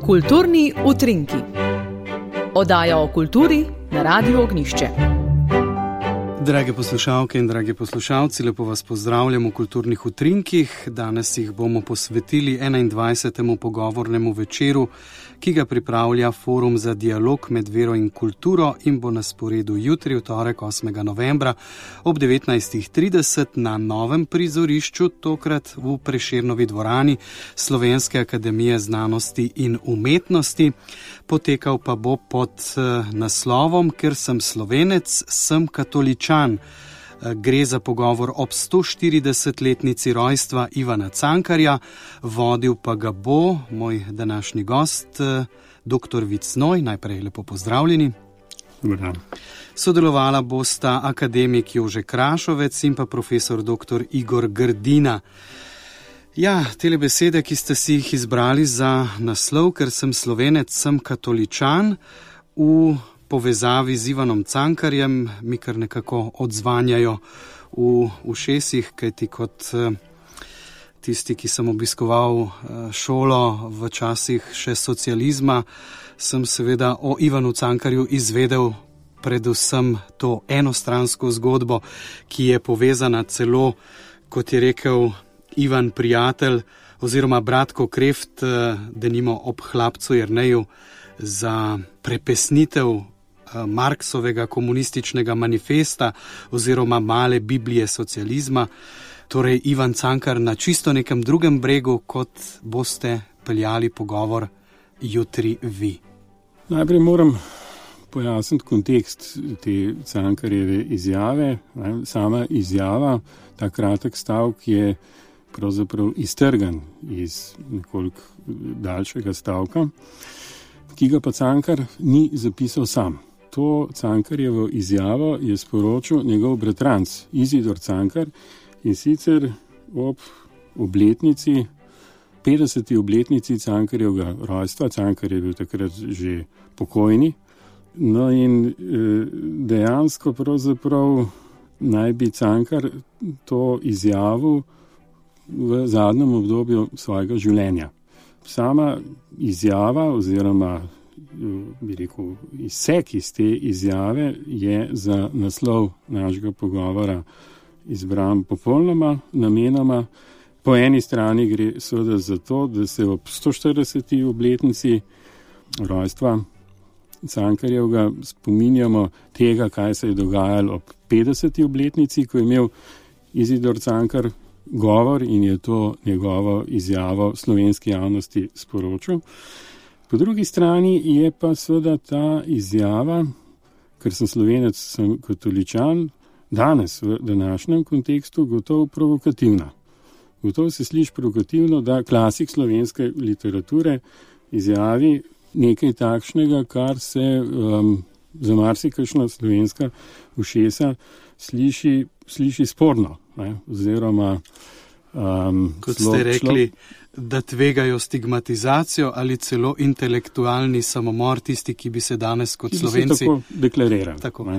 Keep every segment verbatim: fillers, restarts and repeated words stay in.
Kulturni utrinki. Oddaja o kulturi na Radiu Ognjišče. Drage poslušalke in dragi poslušalci, lepo vas pozdravljam v Kulturnih utrinkih. Danes jih bomo posvetili enaindvajsetemu pogovornemu večeru, ki ga pripravlja Forum za dialog med vero in kulturo in bo na sporedu jutri, v torek osmega novembra ob devetnajstih trideset na novem prizorišču, tokrat v Prešernovi dvorani Slovenske akademije znanosti in umetnosti. Potekal pa bo pod naslovom Ker sem Slovenec, sem katoličan. Gre za pogovor ob sto štiridesetletnici rojstva Ivana Cankarja, vodil pa ga bo moj današnji gost, doktor Vid Znoj. Najprej lepo pozdravljeni. Dobar. Sodelovala bosta akademik Jože Krašovec in pa profesor doktor Igor Grdina. Ja, tele besede, ki ste si jih izbrali za naslov, Ker sem Slovenec, sem katoličan, v povezavi z Ivanom Cankarjem mi kar nekako odzvanjajo v ušesih, kajti kot tisti, ki sem obiskoval šolo v časih še socializma, sem seveda o Ivanu Cankarju izvedel predvsem to enostransko zgodbo, ki je povezana celo, kot je rekel Ivan Prijatelj oziroma bratko Kreft, denimo ob hlapcu Jerneju, za prepesnitev Marksovega komunističnega manifesta oziroma male Biblije socializma. Torej Ivan Cankar na čisto nekem drugem bregu, kot boste peljali pogovor jutri vi. Najprej moram pojasniti kontekst te Cankarjeve izjave. Sama izjava, ta kratek stavek, je pravzaprav iztrgan iz nekoliko daljšega stavka, ki ga pa Cankar ni zapisal sam. To Cankarjevo izjavo je sporočil njegov bratranc Izidor Cankar, in sicer ob obletnici, petdeseti obletnici Cankarjevega rojstva. Cankar je bil takrat že pokojni. No in dejansko pravzaprav naj bi Cankar to izjavil v zadnjem obdobju svojega življenja. Sama izjava oziroma bi rekel, izsek iz te izjave je za naslov našega pogovora izbran popolnoma namenoma. Po eni strani gre seveda za to, da se ob sto štirideseti obletnici rojstva Cankarjevega spominjamo tega, kaj se je dogajalo ob petdeseti obletnici, ko je imel Izidor Cankar govor in je to njegovo izjavo slovenski javnosti sporočil. Po drugi strani je pa seveda ta izjava, ker sem Slovenec, sem katoličan, danes v današnjem kontekstu gotovo provokativna. Gotovo se sliši provokativno, da klasik slovenske literature izjavi nekaj takšnega, kar se um, za marsikakšna slovenska ušesa sliši, sliši sporno, ne? Oziroma um, kot ste rekli, da tvegajo stigmatizacijo ali celo intelektualni samomor tisti, ki bi se danes kot ki Slovenci... Ki se tako deklarira. Tako.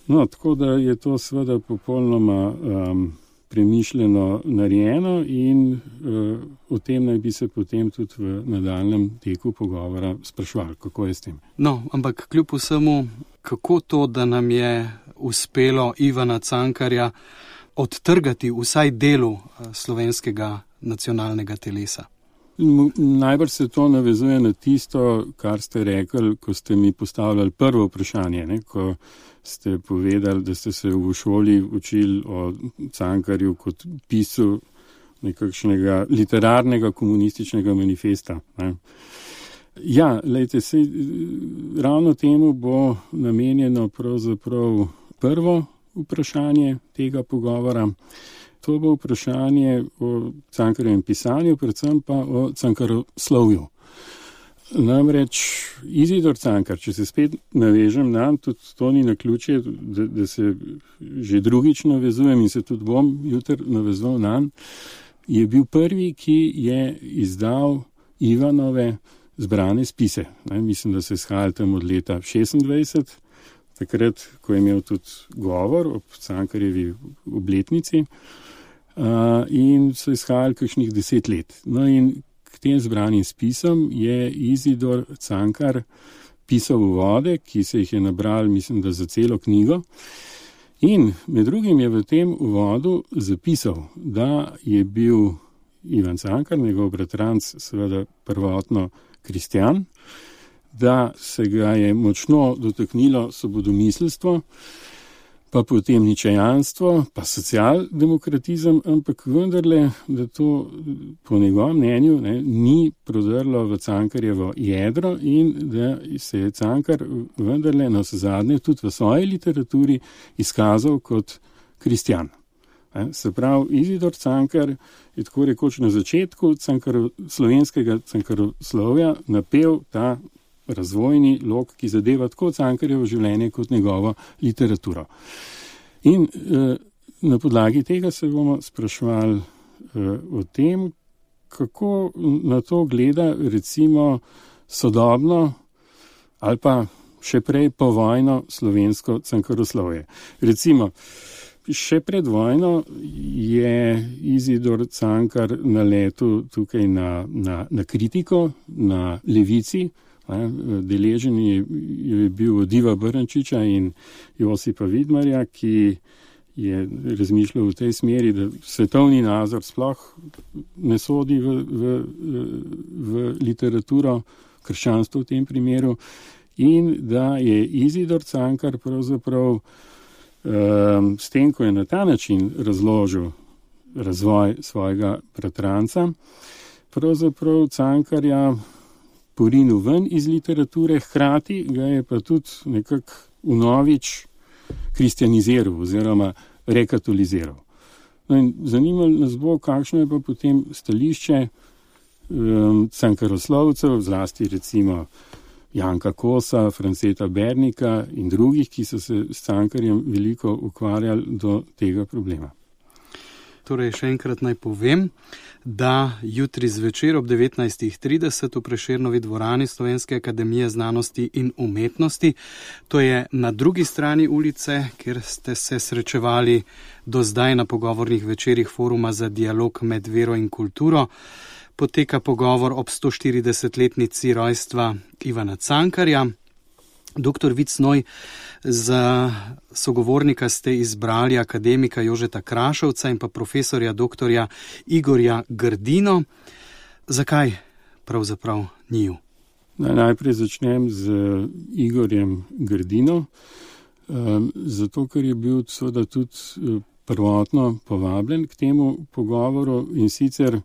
No, tako da je to seveda popolnoma um, premišljeno narejeno in uh, o tem naj bi se potem tudi v nadaljnjem teku pogovora sprašvali, kako je s tem. No, ampak kljub vsemu, kako to, da nam je uspelo Ivana Cankarja odtrgati vsaj delu slovenskega nacionalnega telesa? Najbrž se to navezuje na tisto, kar ste rekli, ko ste mi postavljali prvo vprašanje, ne? Ko ste povedali, da ste se v šoli učili o Cankarju kot piscu nekakšnega literarnega komunističnega manifesta. Ne? Ja, lejte, sej, ravno temu bo namenjeno pravzaprav prvo vprašanje tega pogovora. To bo vprašanje o Cankarjevem pisanju, predvsem pa o Cankaroslovju. Namreč Izidor Cankar, če se spet navežem na, tudi to ni naključje, da, da se že drugič navezujem in se tudi bom jutri navezal na, je bil prvi, ki je izdal Ivanove zbrane spise. Ne, mislim, da se izhajali tam od leta šestindvajset, takrat, ko je imel tudi govor ob Cankarjevi obletnici, uh, in so izhajali kakšnih deset let. No in k k tem zbranim spisom je Izidor Cankar pisal uvode, ki se jih je nabral, mislim, da za celo knjigo. In med drugim je v tem uvodu zapisal, da je bil Ivan Cankar, njegov bratranc, seveda prvotno kristjan, da se ga je močno dotaknilo svobodomiselstvo, pa potem ničejanstvo, pa socialdemokratizem, ampak vendarle, da to po njegovem mnenju ne, ni prodrlo v Cankarjevo jedro in da se je Cankar vendarle na zadnje tudi v svoji literaturi izkazal kot kristjan. Se pravi, Izidor Cankar je tako rekoč na začetku Cankaro, slovenskega Cankaroslovja napel ta razvojni lok, ki zadeva tako Cankarjevo življenje kot njegovo literaturo. In eh, na podlagi tega se bomo spraševali eh, o tem, kako na to gleda recimo sodobno ali pa še prej povojno slovensko Cankaroslovje. Recimo, še pred vojno je Izidor Cankar naletel tukaj na, na, na kritiko, na levici. Deležen je, je bil od Iva Brnčiča in Josipa Vidmarja, ki je razmišljal v tej smeri, da svetovni nazor sploh ne sodi v, v, v literaturo, krščanstvo v tem primeru, in da je Izidor Cankar pravzaprav um, s tem, ko je na ta način razložil razvoj svojega bratranca, pravzaprav Cankarja porinil ven iz literature, hkrati ga je pa tudi nekako vnovič kristjaniziral oziroma rekatoliziral. No in zanimalo nas bo, kakšno je pa potem stališče um, Cankaroslovcev, zlasti recimo Janka Kosa, Franceta Bernika in drugih, ki so se s Cankarjem veliko ukvarjali do tega problema. Torej, še enkrat naj povem, da jutri zvečer ob devetnajstih trideset v Prešernovi dvorani Slovenske akademije znanosti in umetnosti, to je na drugi strani ulice, kjer ste se srečevali do zdaj na pogovornih večerih Foruma za dialog med vero in kulturo, poteka pogovor ob sto štiridesetletnici rojstva Ivana Cankarja. Doktor Vicnoj, za sogovornika ste izbrali akademika Jožeta Krašovca in pa profesorja doktorja Igorja Grdino. Zakaj pravzaprav njiju? Najprej začnem z Igorjem Grdino, zato ker je bil seveda tudi prvotno povabljen k temu pogovoru in sicer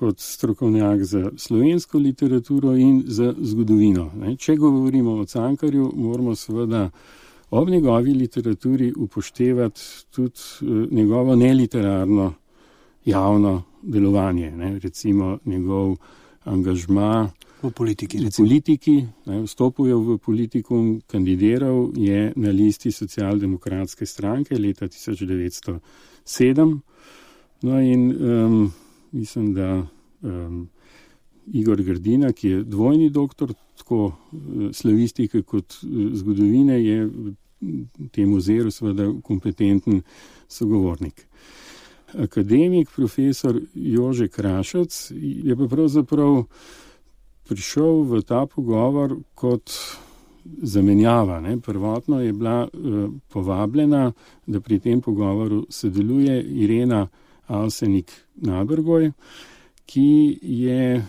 kot strokovnjak za slovensko literaturo in za zgodovino. Če govorimo o Cankarju, moramo seveda ob njegovi literaturi upoštevati tudi njegovo neliterarno javno delovanje, ne? Recimo njegov angažma v politiki. V politiki, ne? Vstopil je v politikum, kandidiral je na listi socialdemokratske stranke leta tisoč devetsto sedem. No in um, mislim, da um, Igor Grdina, ki je dvojni doktor, tako uh, slavistike kot uh, zgodovine, je v tem oziru seveda kompetenten sogovornik. Akademik, profesor Jože Krašec je pa pravzaprav prišel v ta pogovor kot zamenjava. Ne? Prvotno je bila uh, povabljena, da pri tem pogovoru sodeluje Irena Avsenik-Nabergoj, ki je eh,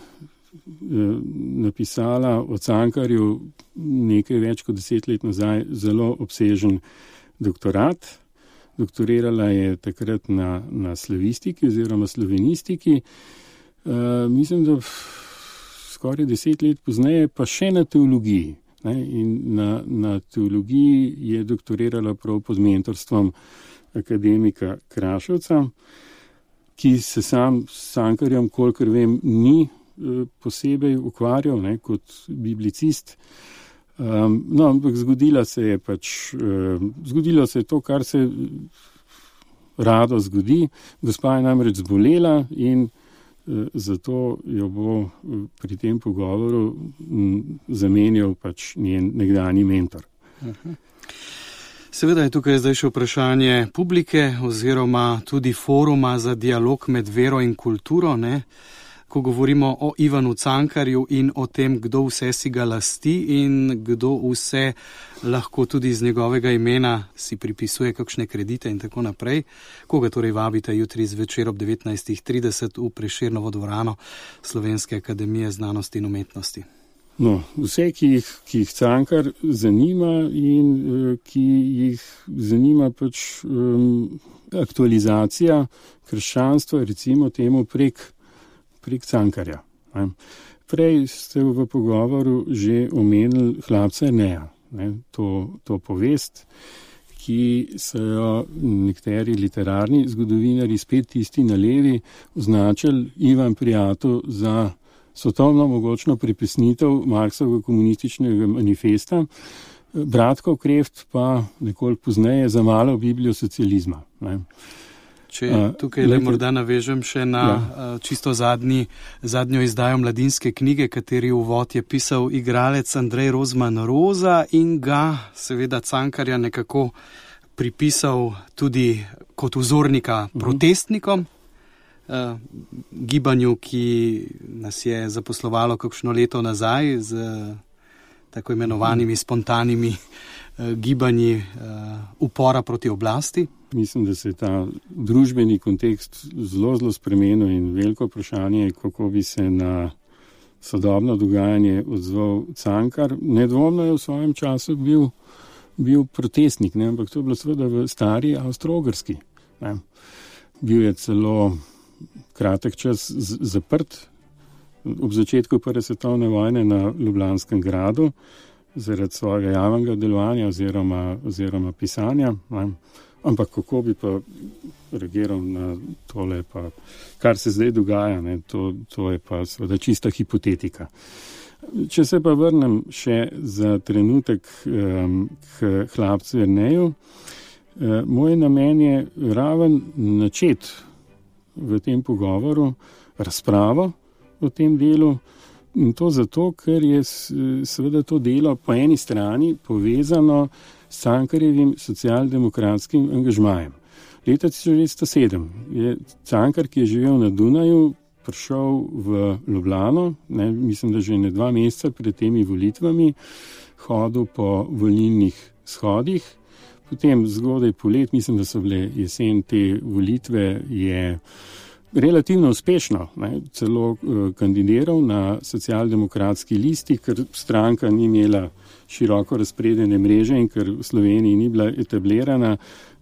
napisala o Cankarju nekaj več kot deset let nazaj zelo obsežen doktorat. Doktorirala je takrat na, na slavistiki oziroma slovenistiki. Eh, mislim, da skoraj deset let pozneje pa še na teologiji. Ne? In na, na teologiji je doktorirala prav pod mentorstvom akademika Kraševca, ki se sam s Cankarjem, kolikor vem, ni e, posebej ukvarjal, ne, kot biblicist. Um, no, ampak zgodilo se je pač, e, zgodilo se je to, kar se rado zgodi. Gospa je namreč zbolela in e, zato jo bo pri tem pogovoru m, zamenjal pač njen nekdanji mentor. Uh-huh. Seveda je tukaj zdaj še vprašanje publike oziroma tudi foruma za dialog med vero in kulturo, ne? ko govorimo o Ivanu Cankarju in o tem, kdo vse si ga lasti in kdo vse lahko tudi iz njegovega imena si pripisuje kakšne kredite in tako naprej. Koga torej vabite jutri zvečer ob devetnajstih trideset v Prešernovo dvorano Slovenske akademije znanosti in umetnosti? No, vse, ki jih, ki jih Cankar zanima in uh, ki jih zanima pač um, aktualizacija krščanstva, recimo temu prek, prek Cankarja. Ne. Prej ste v pogovoru že omenili Hlapca Jerneja, ne, to, to povest, ki so jo nekateri literarni zgodovinari, spet tisti na levi, označili Ivan Prijatelj za svetovno mogočno pripesnitev Marksovega komunističnega manifesta, Bratkov Kreft pa nekoliko pozneje za malo Biblijo socializma. Ne. Če tukaj le morda navežem še na ja. čisto zadnji, zadnjo izdajo Mladinske knjige, kateri uvod je pisal igralec Andrej Rozman Roza in ga seveda Cankarja nekako pripisal tudi kot vzornika uh-huh. protestnikom, Uh, gibanju, ki nas je zaposlovalo kakšno leto nazaj z uh, tako imenovanimi spontanimi uh, gibanji uh, upora proti oblasti. Mislim, da se je ta družbeni kontekst zelo, zelo spremenil in veliko vprašanje, kako bi se na sodobno dogajanje odzval Cankar. Nedvomno je v svojem času bil, bil protestnik, ne? Ampak to je bilo seveda v stari Avstro-Ogrski. Ne? Bil je celo kratek čas z- zaprt ob začetku prve svetovne vojne na Ljubljanskem gradu zaradi svojega javnega delovanja oziroma, oziroma pisanja. Ne. Ampak kako bi pa reagiral na tole, pa, kar se zdaj dogaja, ne, to, to je pa seveda čista hipotetika. Če se pa vrnem še za trenutek um, k Hlapcu Jerneju, um, moj namen je raven načet v tem pogovoru razpravo o tem delu in to zato, ker je seveda to delo po eni strani povezano s Cankarjevim socialdemokratskim angažmajem. Leta tisoč devetsto sedem je Cankar, ki je živel na Dunaju, prišel v Ljubljano, ne, mislim, da že ne dva meseca pred temi volitvami, hodil po volilnih shodih. Potem zgodaj polet, mislim, da so bile jesen te volitve, je relativno uspešno, ne, celo uh, kandidiral na socialdemokratski listi, ker stranka ni imela široko razpredene mreže in ker v Sloveniji ni bila etablirana,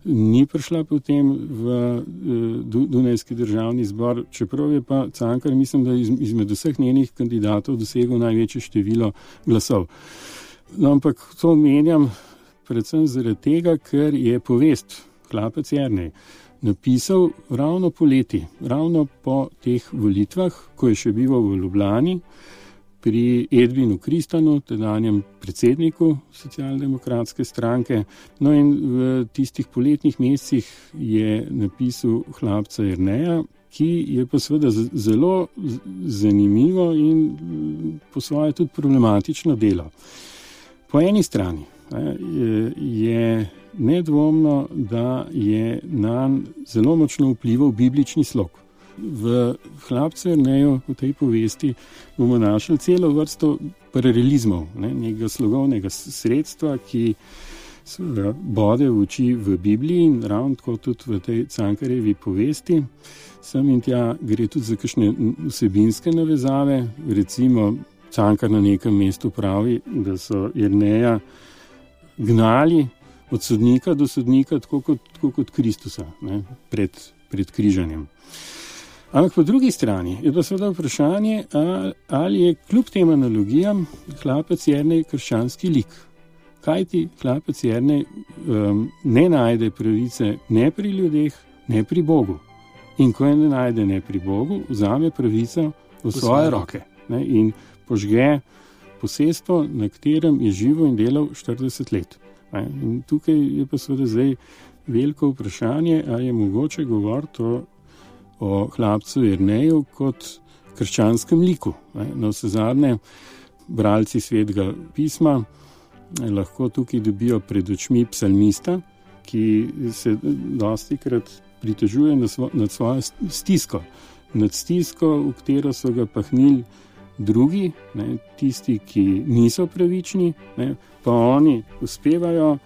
ni prišla potem v uh, Dunajski državni zbor, čeprav je pa Cankar, mislim, da iz, izmed vseh njenih kandidatov dosegel največje število glasov. No, ampak to menjam predvsem zaradi tega, ker je povest Hlapec Jernej napisal ravno poleti, ravno po teh volitvah, ko je še bival v Ljubljani pri Edvinu Kristanu, tedanjem predsedniku socialdemokratske stranke. No in v tistih poletnih mesecih je napisal Hlapca Jerneja, ki je pa seveda zelo zanimivo in po svoje tudi problematično delo. Po eni strani je nedvomno, da je nanj zelo močno vplival biblični slog. V Hlapcu Jerneju, v tej povesti, bomo našli celo vrsto paralelizmov, ne, nekega slogovnega sredstva, ki bode v oči v Bibliji in ravno tako tudi v tej Cankarjevi povesti. Sem in tja gre tudi za kakšne vsebinske navezave, recimo Cankar na nekem mestu pravi, da so Jerneja gnali od sodnika do sodnika, tako kot, tako kot Kristusa, ne, pred, pred križanjem. Ampak po drugi strani je pa seveda vprašanje, ali je kljub tem analogijam Hlapec Jernej krščanski lik. Kajti Hlapec Jernej um, ne najde pravice ne pri ljudeh, ne pri Bogu. In ko je ne najde ne pri Bogu, vzame pravico v svoje roke, ne, in požge posestvo, na katerem je živo in delal štirideset let. In tukaj je pa seveda zdaj veliko vprašanje, ali je mogoče govoriti o, o Hlapcu Jerneju kot krščanskem liku. Na vse zadnje, bralci Svetega pisma lahko tukaj dobijo pred očmi psalmista, ki se dostikrat pritožuje nad svojo stisko. nad stisko, v katero so ga pahnili drugi, ne, tisti, ki niso pravični, ne, pa oni uspevajo,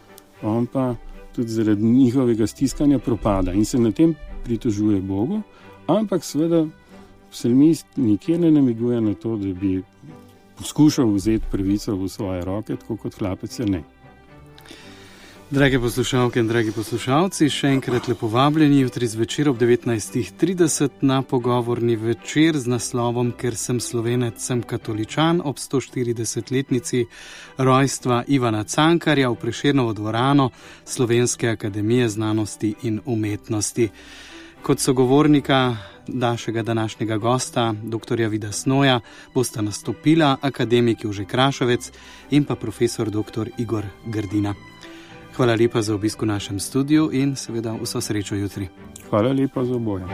on pa tudi zaradi njihovega stiskanja propada in se na tem pritožuje Bogu, ampak seveda psalmist nikjer ne namiguje na to, da bi poskušal vzeti pravico v svoje roke, tako kot hlapec je ne. Drage poslušalke in dragi poslušalci, še enkrat lepo vabljeni jutri zvečer ob devetnajstih trideset na pogovorni večer z naslovom Ker sem Slovenec, sem katoličan ob sto štiridesetletnici rojstva Ivana Cankarja v Prešernovo dvorano Slovenske akademije znanosti in umetnosti. Kot sogovornika našega današnjega gosta, doktorja Vida Snoja, bosta nastopila akademik Jože Krašovec in pa profesor doktor Igor Grdina. Hvala lepa za obisk v našem studiu in seveda vso srečo jutri. Hvala lepa za oboje.